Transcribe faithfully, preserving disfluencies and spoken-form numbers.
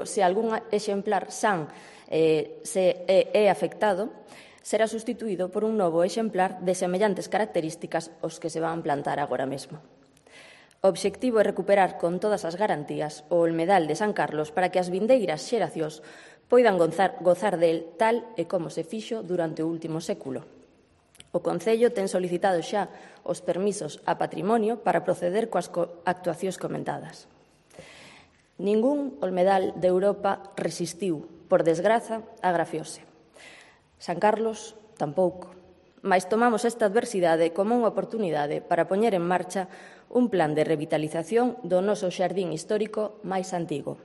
se algún exemplar san eh, se é, é afectado, será sustituído por un novo exemplar de semellantes características aos que se van plantar agora mesmo. O obxectivo é recuperar con todas as garantías o olmedal de San Carlos para que as vindeiras xeracións poidan gozar, gozar del tal e como se fixo durante o último século. O Concello ten solicitado xa os permisos a patrimonio para proceder coas actuacións comentadas. Ningún olmedal de Europa resistiu, por desgraza, a grafiose. San Carlos tampouco, mais tomamos esta adversidade como unha oportunidade para poñer en marcha un plan de revitalización do noso xardín histórico máis antigo.